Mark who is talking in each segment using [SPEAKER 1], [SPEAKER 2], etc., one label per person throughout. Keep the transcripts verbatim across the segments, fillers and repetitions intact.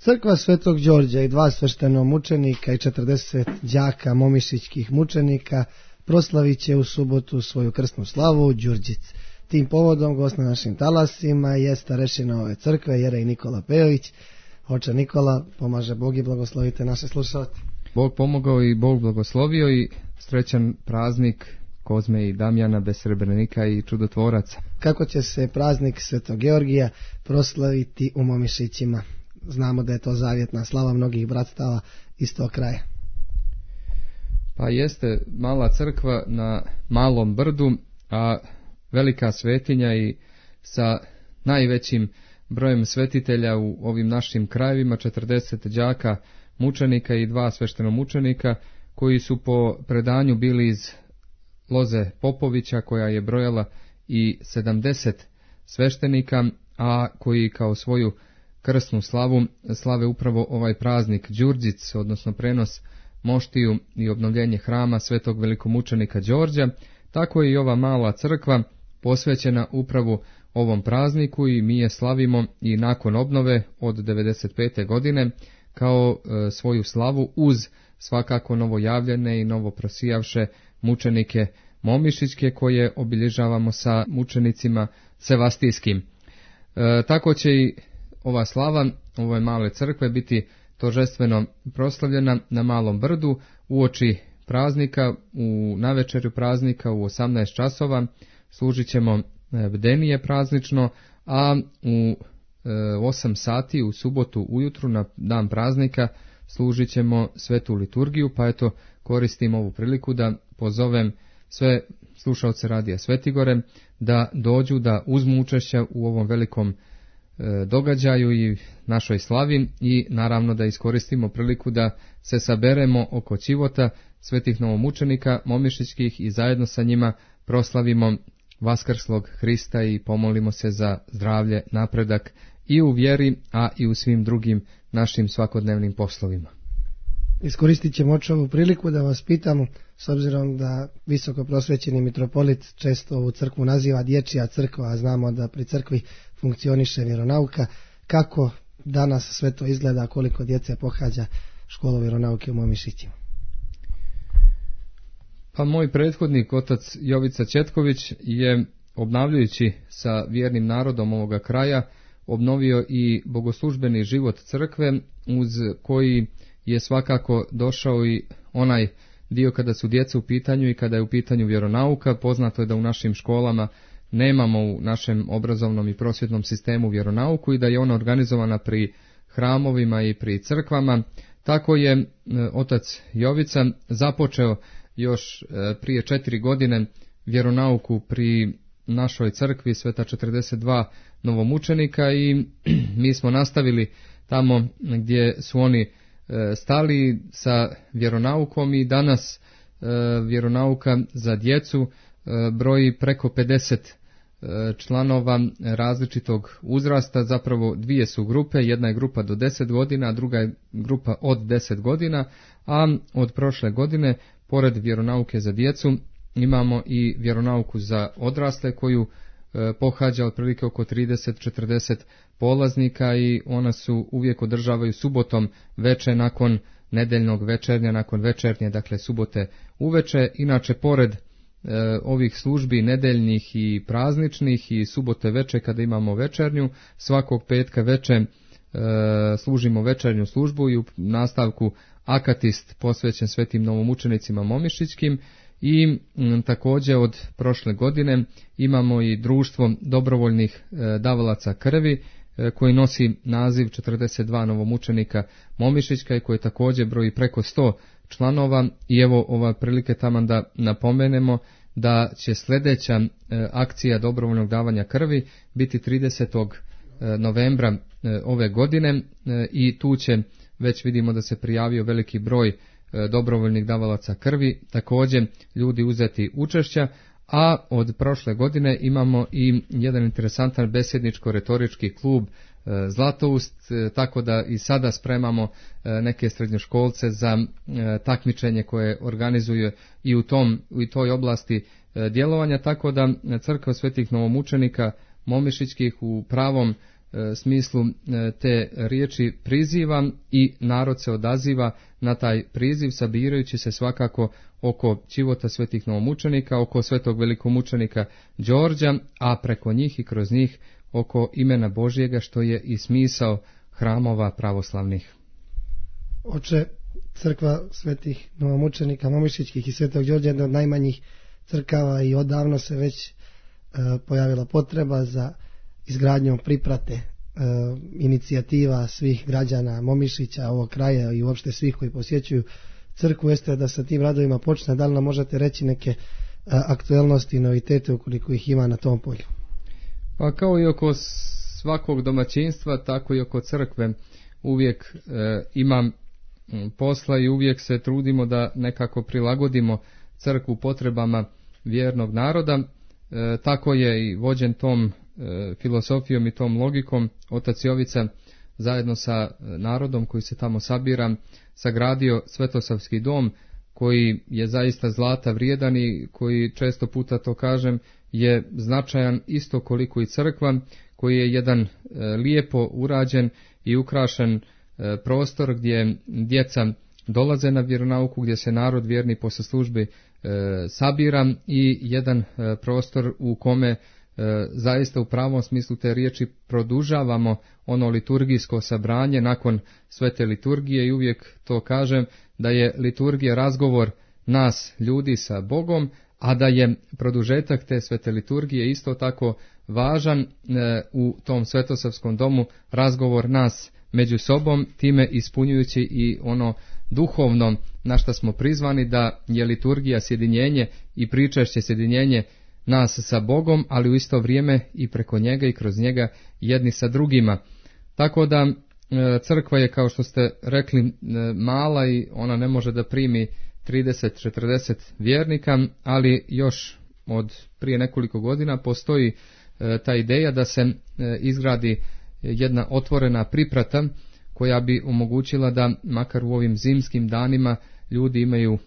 [SPEAKER 1] Crkva Svetog Đorđa i dva sveštenomučenika i četrdeset đaka momišićkih mučenika proslavit će u subotu svoju krsnu slavu u Đurđic. Tim povodom gost na našim talasima je starešina ove crkve, jerej Nikola Pejović. Oče Nikola, pomaže Bog i blagoslovite naše slušalce.
[SPEAKER 2] Bog pomogao i Bog blagoslovio i srećan praznik Kozme i Damjana bez srebrenika i čudotvoraca.
[SPEAKER 1] Kako će se praznik Svetog Georgija proslaviti u Momišićima? Znamo da je to zavjetna slava mnogih bratstava iz tog kraja.
[SPEAKER 2] Pa jeste mala crkva na malom brdu, a velika svetinja i sa najvećim brojem svetitelja u ovim našim krajevima, četrdeset đaka mučenika i dva sveštenomučenika koji su po predanju bili iz loze Popovića, koja je brojala i sedamdeset sveštenika, a koji kao svoju krsnu slavu slave upravo ovaj praznik Đurđic, odnosno prenos moštiju i obnovljenje hrama svetog velikomučenika Đorđa. Tako je i ova mala crkva posvećena upravo ovom prazniku i mi je slavimo i nakon obnove od devedeset pete godine kao e, svoju slavu uz svakako novojavljene i novoprosijavše mučenike momišićke koje obilježavamo sa mučenicima sevastijskim. E, tako će i ova slava ove male crkve biti tožestveno proslavljena na Malom brdu uoči praznika, u navečerju praznika u osamnaest časova služit ćemo bdenije praznično, a u osam sati u subotu ujutru na dan praznika služit ćemo svetu liturgiju, pa eto koristim ovu priliku da pozovem sve slušalce Radija Svetigore da dođu da uzmu učešća u ovom velikom događaju i našoj slavi i naravno da iskoristimo priliku da se saberemo oko ćivota svetih novomučenika momišićkih i zajedno sa njima proslavimo vaskrslog Hrista i pomolimo se za zdravlje, napredak i u vjeri, a i u svim drugim našim svakodnevnim poslovima.
[SPEAKER 1] Iskoristit ćemo ovu priliku da vas pitamo, s obzirom da visoko prosvećeni mitropolit često ovu crkvu naziva dječja crkva, a znamo da pri crkvi funkcioniše vjeronauka, kako danas sve to izgleda, koliko djece pohađa školu vjeronauke u Momišićima?
[SPEAKER 2] Pa moj prethodnik, otac Jovica Četković, je obnavljajući sa vjernim narodom ovoga kraja obnovio i bogoslužbeni život crkve, uz koji je svakako došao i onaj dio kada su djeca u pitanju i kada je u pitanju vjeronauka. Poznato je da u našim školama nemamo u našem obrazovnom i prosvjetnom sistemu vjeronauku i da je ona organizovana pri hramovima i pri crkvama. Tako je e, otac Jovica započeo još e, prije četiri godine vjeronauku pri našoj crkvi Sveta četrdeset dva novomučenika i mi smo nastavili tamo gdje su oni e, stali sa vjeronaukom i danas e, vjeronauka za djecu e, broji preko pedeset članova različitog uzrasta, zapravo dvije su grupe, jedna je grupa do deset godina, a druga je grupa od deset godina, a od prošle godine, pored vjeronauke za djecu, imamo i vjeronauku za odrasle koju e, pohađa otprilike oko trideset do četrdeset polaznika i ona su uvijek održavaju subotom veče nakon nedeljnog večernja, nakon večernje, dakle subote uveče. Inače, pored E, ovih službi nedeljnih i prazničnih i subote veče kada imamo večernju, svakog petka veče e, služimo večernju službu i u nastavku akatist posvećen svetim novomučenicima momišićkim i m, također od prošle godine imamo i društvo dobrovoljnih e, davalaca krvi e, koji nosi naziv četrdeset dva novomučenika momišićka i koji također broji preko sto članova i evo ova prilike taman da napomenemo da će sljedeća e, akcija dobrovoljnog davanja krvi biti tridesetog novembra e, ove godine e, i tu će već vidimo da se prijavio veliki broj e, dobrovoljnih davalaca krvi, također ljudi uzeti učešća, a od prošle godine imamo i jedan interesantan besjedničko-retorički klub Zlatoust, tako da i sada spremamo neke srednjoškolce za takmičenje koje organizuje i u tom u toj oblasti djelovanja, tako da crkva svetih novomučenika momišićkih u pravom smislu te riječi priziva i narod se odaziva na taj priziv, sabirajući se svakako oko ćivota svetih novomučenika, oko svetog velikomučenika Đorđa, a preko njih i kroz njih oko imena Božjega, što je i smisao hramova pravoslavnih.
[SPEAKER 1] Oče, crkva svetih novomučenika Momišićkih i svetog Đorđa je jedna od najmanjih crkava i odavno se već e, pojavila potreba za izgradnjom priprate, e, inicijativa svih građana Momišića, ovog kraja i uopšte svih koji posjećuju crkvu jeste da sa tim radovima počne. Da li nam možete reći neke e, aktuelnosti i novitete ukoliko ih ima na tom polju?
[SPEAKER 2] Pa kao i oko svakog domaćinstva, tako i oko crkve uvijek e, imam posla i uvijek se trudimo da nekako prilagodimo crkvu potrebama vjernog naroda. E, tako je i vođen tom e, filosofijom i tom logikom otac Jovica zajedno sa narodom koji se tamo sabira sagradio Svetosavski dom, koji je zaista zlata vrijedan i koji, često puta to kažem, je značajan isto koliko i crkva, koji je jedan e, lijepo urađen i ukrašen e, prostor gdje djeca dolaze na vjeronauku, gdje se narod vjerni posle službi e, sabira i jedan e, prostor u kome e, zaista u pravom smislu te riječi produžavamo ono liturgijsko sabranje nakon svete liturgije i uvijek to kažem da je liturgija razgovor nas ljudi sa Bogom, a da je produžetak te svete liturgije isto tako važan e, u tom Svetosavskom domu razgovor nas među sobom, time ispunjujući i ono duhovno na što smo prizvani, da je liturgija sjedinjenje i pričašće sjedinjenje nas sa Bogom, ali u isto vrijeme i preko njega i kroz njega jedni sa drugima. Tako da e, crkva je, kao što ste rekli, e, mala i ona ne može da primi trideset do četrdeset vjernika, ali još od prije nekoliko godina postoji e, ta ideja da se e, izgradi jedna otvorena priprata koja bi omogućila da makar u ovim zimskim danima ljudi imaju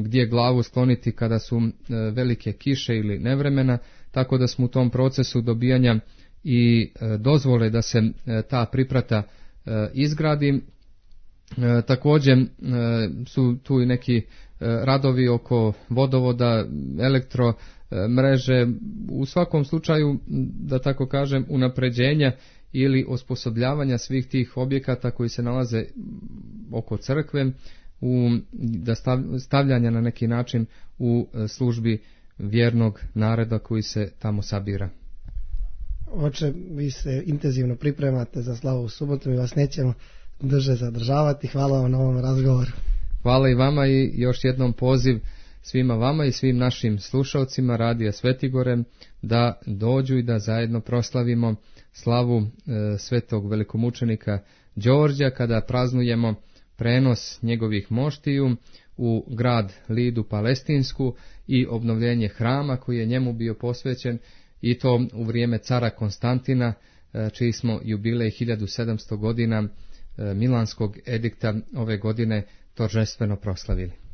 [SPEAKER 2] gdje glavu skloniti kada su e, velike kiše ili nevremena, tako da smo u tom procesu dobijanja i e, dozvole da se e, ta priprata e, izgradi. E, također e, su tu i neki e, radovi oko vodovoda, elektro e, mreže, u svakom slučaju, da tako kažem, unapređenja ili osposobljavanja svih tih objekata koji se nalaze oko crkve, u, da stav, stavljanja na neki način u službi vjernog naroda koji se tamo sabira.
[SPEAKER 1] Oče, vi se intenzivno pripremate za slavu u subotu i vas nećemo drže zadržavati. Hvala vam na ovom razgovoru.
[SPEAKER 2] Hvala i vama i još jednom poziv svima vama i svim našim slušalcima Radija Svetigore da dođu i da zajedno proslavimo slavu e, svetog velikomučenika Đorđa kada praznujemo prenos njegovih moštiju u grad Lidu Palestinsku i obnovljenje hrama koji je njemu bio posvećen, i to u vrijeme cara Konstantina, e, čiji smo jubilej hiljadu sedamsto godina e, Milanskog edikta ove godine торжествено proslavili.